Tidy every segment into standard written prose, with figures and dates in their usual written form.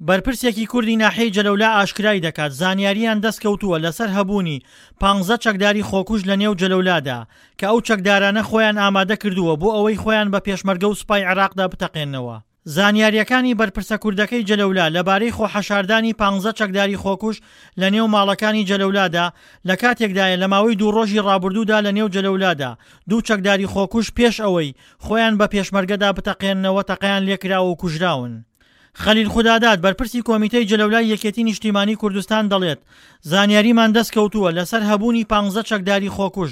بەرپرسێکی کوردی ناحیەی جەلەولا ئاشکرای دەکات، زانیارییان دەستکەوتووە لەسەر هەبوونی پانزە چەکداری خۆکوژ لەنێو جەلەولادا، کە ئەو چەکدارانە خۆیان ئامادە کردووە بۆ ئەوەی خۆیان بە پێشمەرگە و سوپای عێراقدا بتەقێننەوە. زانیارییەکانی بەرپرسە کوردەکەی جەلەولا لەبارەی خۆحەشاردانی پانزە چەکداری خۆکوژ لەنێو ماڵەکانی جەلەولادا لەکاتێکدایە لەماوەی دوو ڕۆژی ڕابردوودا لەنێو جەلەولادا دوو چەکداری خۆکوژ پێش ئەوەی خۆیان بە پێشمەرگەدا بتەقێننەوە تەقەیان لێکراوە و کوژراون. خەلیل خوداداد، بەرپرسی کۆمیتەی جەلەولای یەکێتی نیشتیمانی کوردستان دەڵێت، زانیاریمان دەستکەوتووە لەسەر هەبوونی پانزە چەکداری خۆکوژ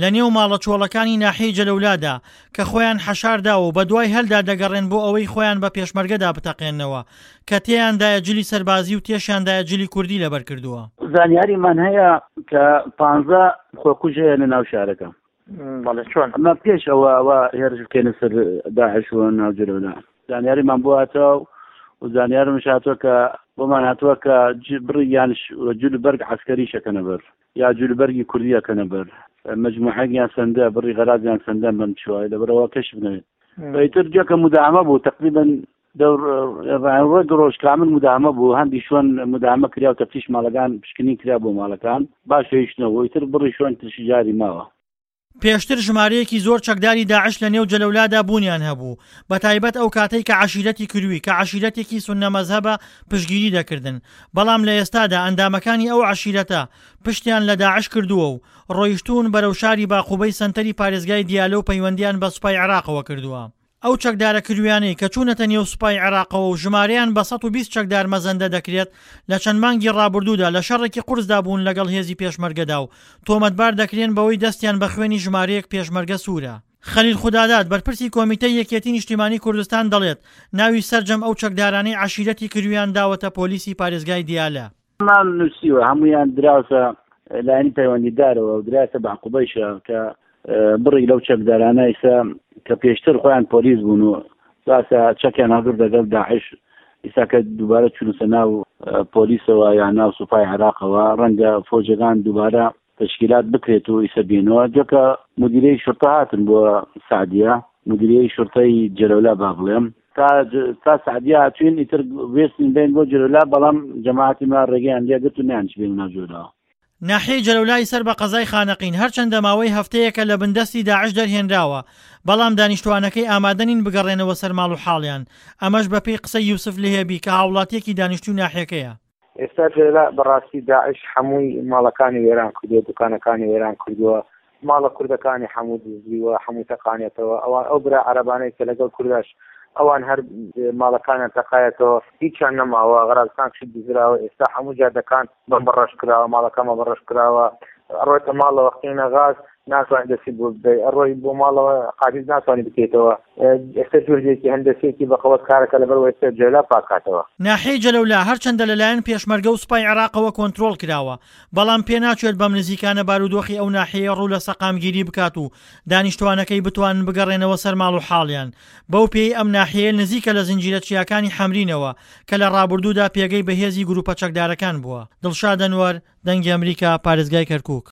لەنێو ماڵە چۆڵەکانی ناحیەی جەلەولادا کە خۆیان حەشارداوە و بەدوای هەلدا دەگەڕێن بۆ ئەوەی خۆیان بە پێشمەرگەدا بتەقێننەوە کە تێیاندایە جلی سەربازی و تێشیاندایە جلی کوردی لەبەرکردووە. زانیاریمان هەیە کە پانزە خۆکوژ هەیە لەناو شارەکە. بەڵێ چۆن؟ ئەمە پێش ئەوە ئەوە هێرش بکەینە سەر داعش و ناو جەلەولا زانیاریمان بۆ هاتووە و زانیارمش هاتووە کە بۆمان هاتووە کە بڕی یان جل بەرگ عسکەری شەکەنە بەر یا جل بەرگی کوردی ئەکەنە بەر مجموعەیەک یان سندە بڕی غەرازیان سندە بەم چوای لەبەرەوە کەشف نەبێت ئیتر جەکە مداهەمە بوو تقریبا دەور ڕێگ ڕۆژ کامل مداهەمە بوو هەندی شوێن مداهەمە کرا و تەفتیش ماڵەکان پشکنین کرا بۆ ماڵەکان باش هێشتنەوە ئیتر بڕی شوێن ترشی جاری ماوە. پێشتر ژمارەیەکی زۆر چەکداری داعش لە نێو جەلەولادا بوونیان هەبوو، بەتایبەت ئەو کاتەی کە عەشیرەتی کروی کە عەشیرەتێکی سوننە مەزهەبە پشتگیری دەکردن، بەڵام لە ئێستادا ئەندامەکانی ئەو عەشیرەتە پشتیان لە داعش کردووە و ڕۆیشتوون بەرەو شاری باقوبەی سەنتەری پارێزگای دیالە و پەیوەندیان بە سوپای عێراقەوە کردووە. ئەو چەکدارە کرویانەی کە چوونەتە نێو سوپای عێراقەوە و ژمارەیان بە 120 چەکدار مەزەندە دەکرێت، لە چەند مانگی ڕابردوودا لە شەڕێکی قورسدا بوون لەگەڵ هێزی پێشمەرگەدا و تۆمەتبار دەکرێن بەوەی دەستیان بە خوێنی ژمارەیەک پێشمەرگە سوورە. خەلیل خوداداد، بەرپرسی کۆمیتەی یەکێتی نیشتیمانی کوردستان دەڵێت، ناوی سەرجەم ئەو چەکدارانەی عەشیرەتی کرویان داوەتە پۆلیسی پارێزگای دیالە. مان نووسیوە هەموویان دراوتە لایەنی پەیوەندیدارەوە و درایەتە بەعقوبەیشە کە بڕێک لەو چەکدارانە ئیسا کە پێشتر خۆیان پۆلیس بوون و باسە چەکیان هەڵگرت لەگەڵ داعش ئیسا کە دووبارە چوونەتە ناو پۆلیسەوە یان ناو سوپای عێراقەوە ڕەنگە فۆجەکان دووبارە تەشکیلات بکرێت و ئیسە بێنەوە جۆکە مدیرەی شرطە هاتن بۆ سعدیە مدیرەی شرطەی جەلەولا با بڵێم تا تا سعدیە هاتوین ئیتر وێستین بین بۆ جەلەولا بەڵام جەماعەتی ما ڕێگەیان لێگرت و نەیانچ بێنە ناو جەلەولاوە. ناحیەی جەلەولای سەر بە قەزای خانەقین هەرچەندە ماوەی هەفتەیەکە لە بندەستی داعش دەرهێنراوە، بەڵام دانیشتووانەکەی ئامادە نین بگەڕێنەوە سەر ماڵ و حاڵیان، ئەمەش بەپێی قسەی یوسف لهێبی کە هاوڵاتییەکی دانیشتووی ناحیەکەیە. ئێستا جەلەلا بەڕاستی داعش حەمووی ماڵەکانی وێران کردووە دوکانەکانی وێران کردووە ماڵە کوردەکانی حەموو دزیوە حەموو تەقانێتەوە ئەوان ئەو برا عەرەبانەی کە لەگەڵ کورداش ئەوان هەر ماڵەکانیان تەقایەتەوە هیچیان نەماوە غەرازەکان شت دزراوە ئێستا حەموو جادەکان بەمبەڕەش کراوە ماڵەکان بەڕەش کراوە ئەڕۆیتە ماڵەوە قینە غاز ناتوانانی دەستی بۆ بدەی ئەڕۆی بۆ ماڵەوە قاریز ناتوانانی بکەیتەوە ئێستا جوردێکی هەندەسێکی بەقەوەت کارەکە لەبەر ئێستا جەلا پاکاتەوە. ناحیەی جەلەولا هەرچەندە لەلایەن پێشمەرگە و سوپای عێراقەوە کۆنترۆڵ کراوە، بەڵام پێناچێت بەم نزیکانە بارودۆخی ئەو ناحیەیە ڕوو لە سەقامگیری بکات و دانیشتوانەکەی بتوانن بگەڕێنەوە سەر ماڵ و حاڵیان، بەو پێیەی ئەم ناحیەیە نزیکە لە زنجیرە چیاکانی حەمرینەوە کە لە ڕابردوودا پێگەی بەهێزی گروپە چەکدارەکان بووە. دڵشاد ئەنوەر، دەنگی ئەمریکا، پارێزگای کەرکوک.